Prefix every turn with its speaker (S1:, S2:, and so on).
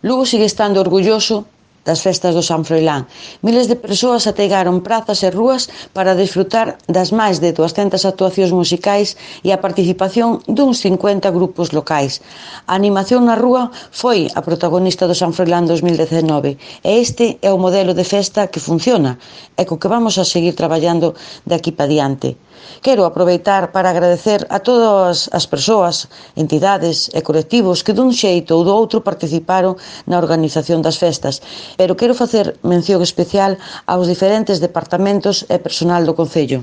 S1: Lugo sigue estando orgulloso das festas do San Froilán. Miles de persoas ateigaron prazas e rúas para desfrutar das máis de 200 actuacións musicais e a participación duns 50 grupos locais. A animación na rúa foi a protagonista do San Froilán 2019 e este é o modelo de festa que funciona e co que vamos a seguir traballando de aquí para diante. Quero aproveitar para agradecer a todas as persoas, entidades e colectivos que dun xeito ou do outro participaron na organización das festas, pero quero facer mención especial aos diferentes departamentos e persoal do Concello.